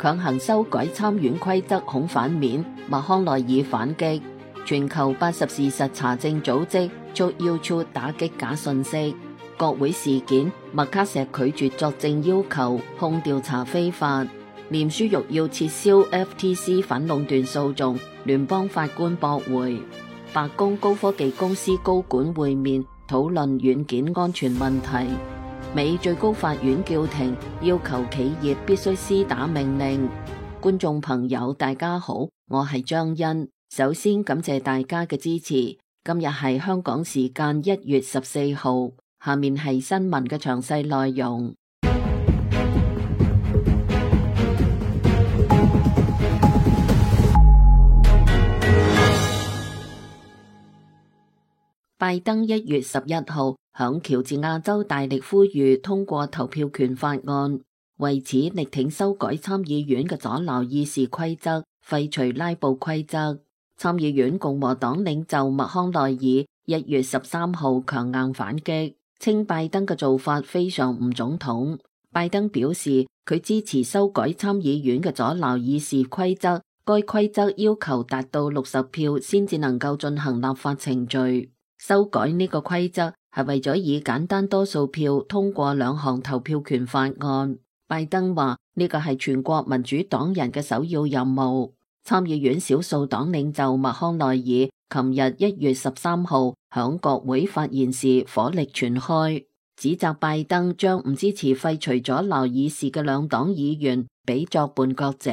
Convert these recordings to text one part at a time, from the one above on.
強行修改參院規則恐反面，麥康奈爾反擊。全球80事實查證組織遭要求打擊假訊息。國會事件，麥卡錫拒絕作證要求，控調查非法。臉書欲要撤銷 FTC 反壟斷訴訟，聯邦法官駁回。白宮高科技公司高管會面，討論軟件安全問題。美最高法院叫停，要求企業必須施打命令。觀眾朋友大家好，我係張欣，首先感謝大家嘅支持。今日係香港時間1月14號，下面係新聞嘅詳細內容。拜登1月11號響喬治亞州大力呼籲通過投票權法案，為此力挺修改參議院嘅阻撓議事規則，廢除拉布規則。參議院共和黨領袖麥康奈爾1月13號強硬反擊，稱拜登嘅做法非常唔總統。拜登表示佢支持修改參議院嘅阻撓議事規則，該規則要求達到60票先至能夠進行立法程序。修改呢個規則係為咗以簡單多數票通過2項投票權法案。拜登話呢個係全國民主黨人嘅首要任務。參議院少數黨領袖麥康奈爾琴日1月13號響國會發言時火力全開，指責拜登將唔支持廢除阻撓議事嘅兩黨議員比作叛國者。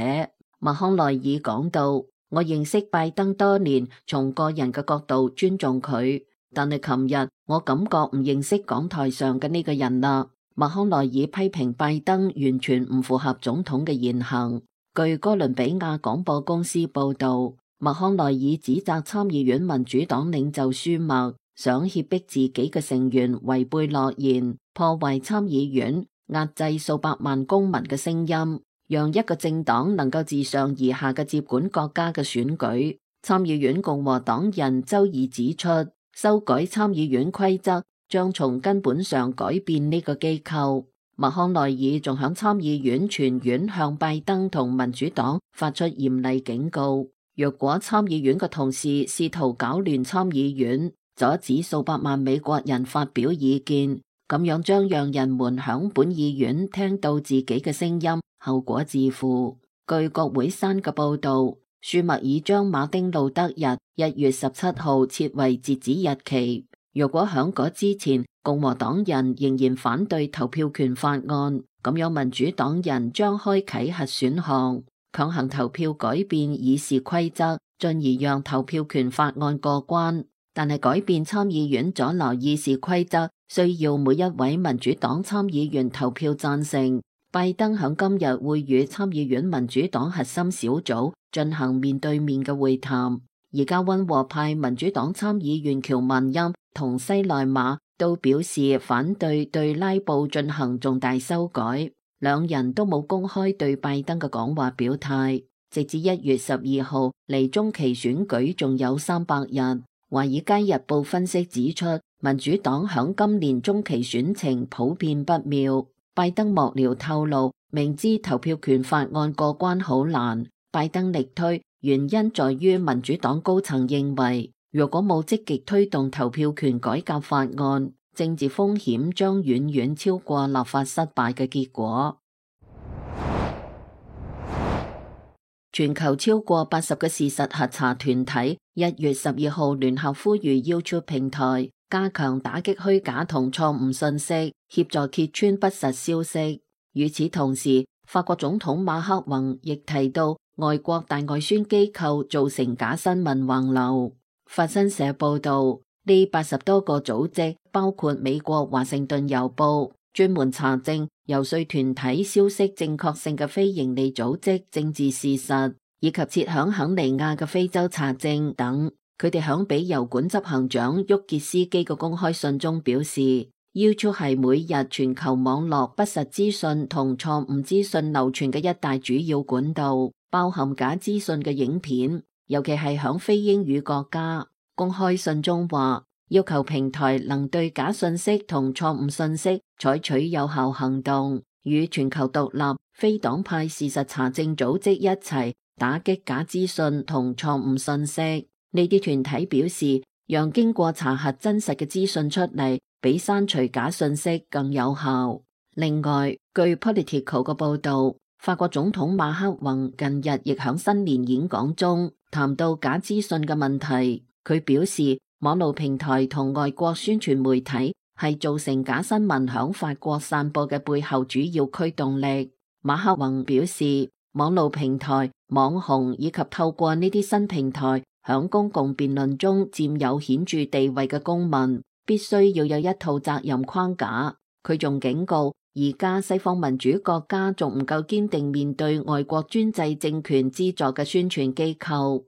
麥康奈爾講到：我認識拜登多年，從個人嘅角度尊重佢。但係琴日我感覺唔認識講台上嘅呢個人啦。麥康奈爾批評拜登完全唔符合總統嘅言行。據哥倫比亞廣播公司報道，麥康奈爾指責參議院民主黨領袖舒默想脅迫自己嘅成員違背諾言，破壞參議院，壓制數百萬公民嘅聲音，讓一個政黨能夠自上而下嘅接管國家嘅選舉。參議院共和黨人周二指出，修改參議院規則將從根本上改變呢個機構。麥康奈爾仲響參議院全院向拜登同民主黨發出嚴厲警告，若果參議院嘅同事試圖搞亂參議院，阻止數百萬美國人發表意見，咁樣將讓人們響本議院聽到自己嘅聲音，後果自負。據國會山嘅報道，舒默已將馬丁路德日1月17號設為截止日期。若果響嗰之前共和黨人仍然反對投票權法案，咁樣民主黨人將開啟核選項，強行投票改變議事規則，進而讓投票權法案過關。但係改變參議院阻撓議事規則需要每一位民主黨參議員投票贊成。拜登響今日會與參議院民主黨核心小組進行面對面嘅會談。而家溫和派民主黨參議員喬文欽同西內馬都表示反對對拉布進行重大修改，兩人都冇公開對拜登嘅講話表態。直至1月12號，離中期選舉仲有300日。華爾街日報分析指出，民主黨響今年中期選情普遍不妙。拜登幕僚透露，明知投票權法案過關好難，拜登力推，原因在於民主黨高層認為，如果冇積極推動投票權改革法案，政治風險將遠遠超過立法失敗嘅結果。全球超過80個事實核查團體1月12號聯合呼籲 YouTube 平台加強打擊虛假同錯誤信息，協助揭穿不實消息。與此同時，法國總統馬克宏亦提到外國大外宣機構造成假新聞橫流。法新社報道，呢80多個組織包括美國華盛頓郵報、專門查證遊說團體消息正確性嘅非營利組織政治事實，以及設響肯尼亞嘅非洲查證等。佢哋響俾郵管執行長沃傑斯基嘅公開信中表示，YouTube 係每日全球網絡不實資訊同錯誤資訊流傳嘅一大主要管道，包含假資訊嘅影片，尤其係響非英語國家。公開信中話，要求平台能對假信息同錯誤信息採取有效行動，與全球獨立非黨派事實查證組織一齊打擊假資訊同錯誤信息。呢啲團體表示，讓經過查核真實嘅資訊出嚟，比刪除假信息更有效。另外，據 Politico 嘅報導，法國總統馬克宏近日亦喺新年演講中談到假資訊嘅問題。佢表示，網絡平台同外國宣傳媒體係造成假新聞響法國散播嘅背後主要驅動力。馬克宏表示，網絡平台、網紅以及透過呢啲新平台響公共辯論中佔有顯著地位嘅公民，必須要有一套責任框架。佢仲警告，而家西方民主國家仲唔夠堅定面對外國專制政權資助嘅宣傳機構。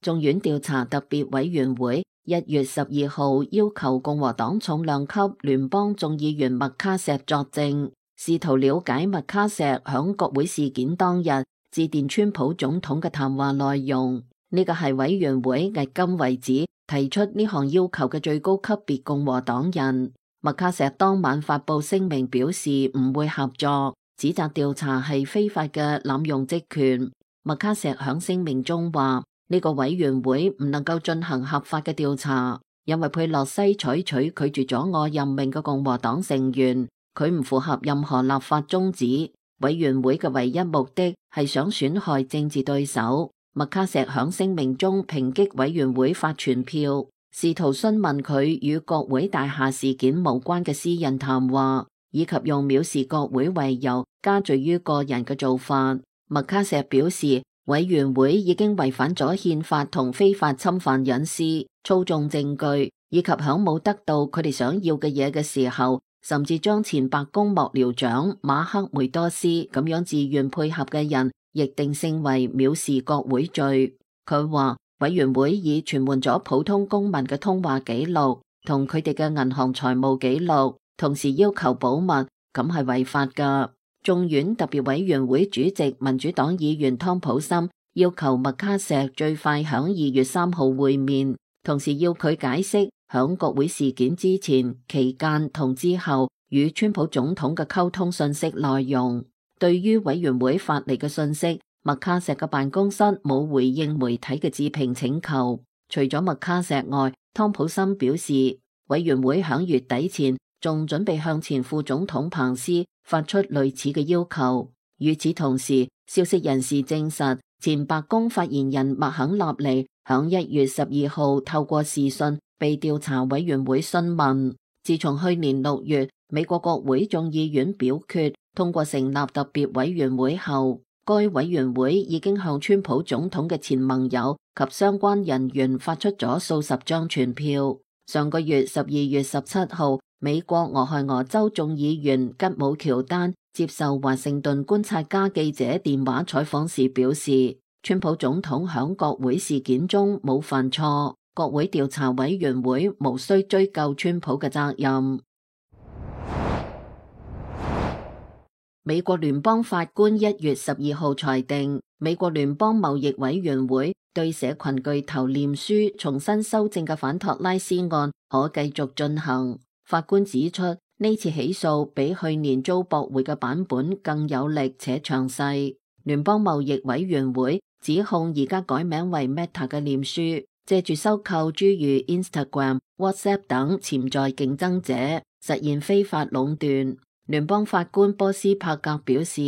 眾院調查特別委員會1月12號要求共和黨重量級聯邦眾議員麥卡錫作證，試圖了解麥卡錫響國會事件當日致電川普總統嘅談話內容。呢個係委員會迄今為止提出呢項要求嘅最高級別共和黨人。麥卡錫當晚發佈聲明表示唔會合作，指責調查係非法嘅濫用職權。麥卡錫響聲明中話，呢個委員會唔能夠進行合法嘅調查，因為佩洛西採取拒絕咗我任命嘅共和黨成員，佢唔符合任何立法宗旨。委員會嘅唯一目的係想損害政治對手。麥卡錫響聲明中抨擊委員會發傳票，試圖詢問佢與國會大廈事件無關嘅私人談話，以及用藐視國會為由加罪於個人嘅做法。麥卡錫表示，委員會已經違反咗憲法同非法侵犯隱私、操縱證據，以及響冇得到佢哋想要嘅嘢嘅時候，甚至將前白宮幕僚長馬克梅多斯咁樣自願配合嘅人，亦定性為藐視國會罪。佢話委員會已傳喚咗普通公民嘅通話記錄同佢哋嘅銀行財務記錄，同時要求保密，咁係違法㗎。眾院特別委員會主席民主黨議員湯普森要求麥卡錫最快響2月3號會面，同時要佢解釋響國會事件之前、期間同之後與川普總統嘅溝通信息內容。對於委員會發嚟嘅信息，麥卡錫嘅辦公室冇回應媒體嘅置評請求。除咗麥卡錫外，湯普森表示，委員會響月底前仲準備向前副總統彭斯發出類似嘅要求。與此同時，消息人士證實，前白宮發言人麥肯納尼響1月12號透過視訊被調查委員會詢問。自從去年6月美國國會眾議院表決通過成立特別委員會後，該委員會已經向川普總統嘅前盟友及相關人員發出咗數十張傳票。上個月12月17號，美國俄亥俄州眾議員吉姆喬丹接受華盛頓觀察家記者電話採訪時表示，川普總統響國會事件中冇犯錯，國會調查委員會無需追究川普嘅責任。美國聯邦法官1月12號裁定，美國聯邦貿易委員會對社群巨頭臉書重新修正嘅反托拉斯案可繼續進行。法官指出，呢次起訴比去年遭駁回嘅版本更有力且詳細。聯邦貿易委員會指控而家改名為 Meta 嘅臉書，借住收購諸如 Instagram、WhatsApp 等潛在競爭者，實現非法壟斷。聯邦法官波斯帕格表示，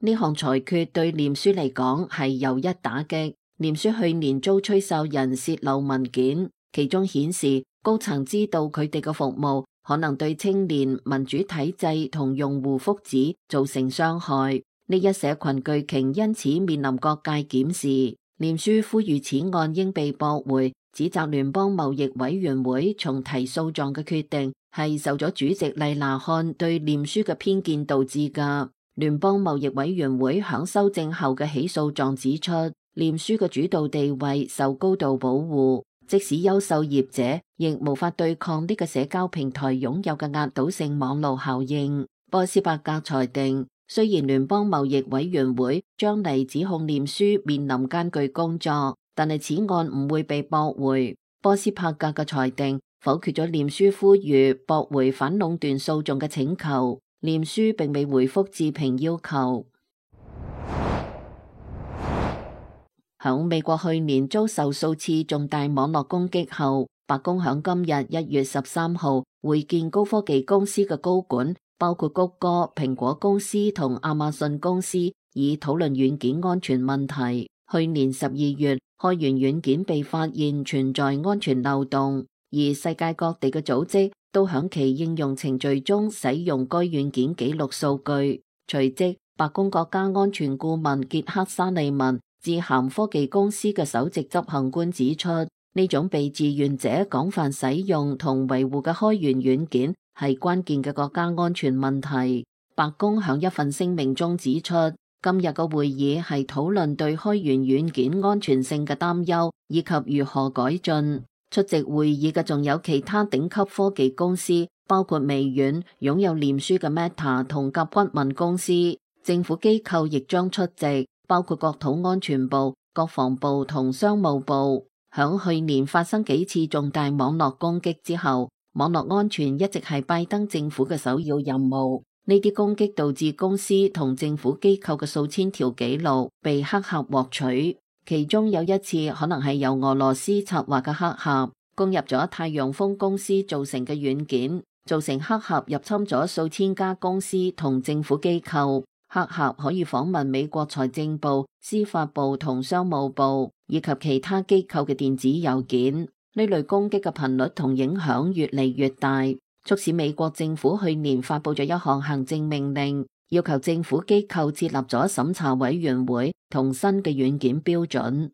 呢項裁決對臉書嚟講係又一打擊。臉書去年遭吹哨人洩露文件，其中顯示高層知道佢哋嘅服務可能對青年、民主體制同用戶福祉造成傷害。呢一社群巨鯨因此面臨各界檢視。臉書呼籲此案應被駁回，指責聯邦貿易委員會重提訴狀嘅決定係受咗主席麗娜漢對臉書嘅偏見導致㗎。聯邦貿易委員會響修正後嘅起訴狀指出，臉書嘅主導地位受高度保護，即使優秀業者亦無法對抗呢個社交平台擁有嘅壓倒性網絡效應。波斯伯格裁定，雖然聯邦貿易委員會將嚟指控臉書面臨艱巨工作，但係此案唔會被駁回。波斯伯格嘅裁定否決咗臉書呼籲駁回反壟斷訴訟嘅請求。臉書並未回覆置評要求。響美國去年遭受數次重大網絡攻擊後，白宮響今日1月13號會見高科技公司嘅高管，包括谷歌、蘋果公司同亞馬遜公司，以討論軟件安全問題。去年12月，開源軟件被發現存在安全漏洞，而世界各地嘅組織都響其應用程序中使用該軟件記錄數據。隨即，白宮國家安全顧問傑克沙利文致函科技公司嘅首席執行官指出，呢種被志願者廣泛使用同維護嘅開源軟件係關鍵嘅國家安全問題。白宮響一份聲明中指出，今日嘅會議係討論對開源軟件安全性嘅擔憂以及如何改進。出席會議嘅仲有其他頂級科技公司，包括微軟、擁有臉書嘅 Meta 同甲骨文公司。政府機構亦將出席，包括國土安全部、國防部同商務部。響去年發生幾次重大網絡攻擊之後，網絡安全一直係拜登政府嘅首要任務。呢啲攻擊導致公司同政府機構嘅數千條紀錄被黑客獲取，其中有一次可能係由俄羅斯策劃嘅黑客攻入咗太陽風公司造成嘅軟件，造成黑客入侵咗數千家公司同政府機構。黑客可以訪問美國財政部、司法部同商務部以及其他機構嘅電子郵件。呢類攻擊嘅頻率同影響越嚟越大，促使美國政府去年發佈咗一項行政命令，要求政府機構設立咗審查委員會同新嘅軟件標準。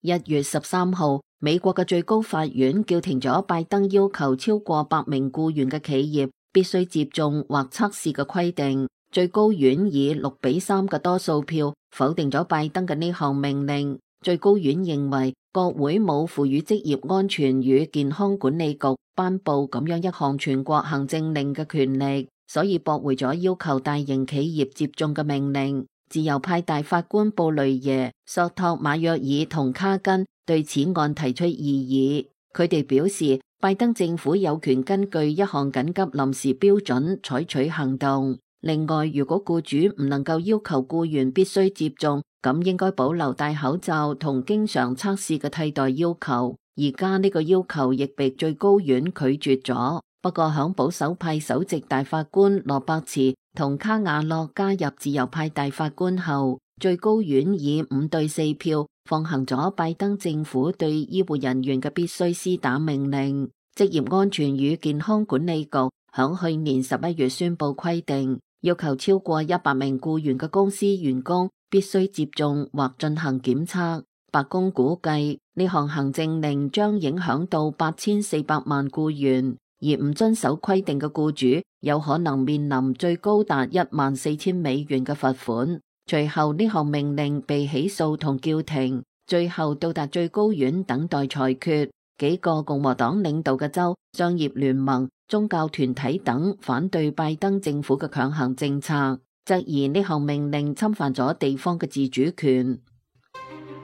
1月13號，美國嘅最高法院叫停咗拜登要求超過100名僱員嘅企業必須接種或測試嘅規定。最高院以6-3嘅多數票否定咗拜登嘅呢項命令。最高院認為國會冇賦予職業安全與健康管理局頒布咁樣一項全國行政令嘅權力，所以駁回咗要求大型企業接種嘅命令。自由派大法官布雷耶、索托馬約爾同卡根對此案提出異議，佢哋表示拜登政府有權根據一項緊急臨時標準採取行動。另外，如果僱主唔能夠要求僱員必須接種，咁應該保留戴口罩同經常測試嘅替代要求。而家呢個要求亦被最高院拒絕咗。不過響保守派首席大法官羅伯茨同卡瓦諾加入自由派大法官後，最高院以5-4票放行咗拜登政府對醫護人員嘅必須施打命令。職業安全與健康管理局響去年11月宣布規定，要求超過100名僱員嘅公司員工必須接種或進行檢測。白宮估計呢項行政令將影響到8400萬僱員，而唔遵守規定嘅僱主有可能面臨最高達14000美元嘅罰款。隨後呢項命令被起訴同叫停，最後到達最高院等待裁決。幾個共和黨領導嘅州、商業聯盟、宗教團體等反對拜登政府嘅強行政策，質疑呢項命令侵犯咗地方嘅自主權。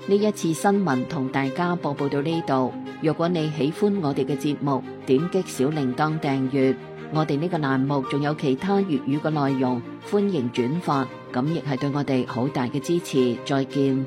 呢一次新聞同大家播報到呢度。若果你喜歡我哋嘅節目，點擊小鈴鐺訂閱。我哋呢個欄目仲有其他粵語嘅內容，歡迎轉發，咁亦係對我哋好大嘅支持。再見。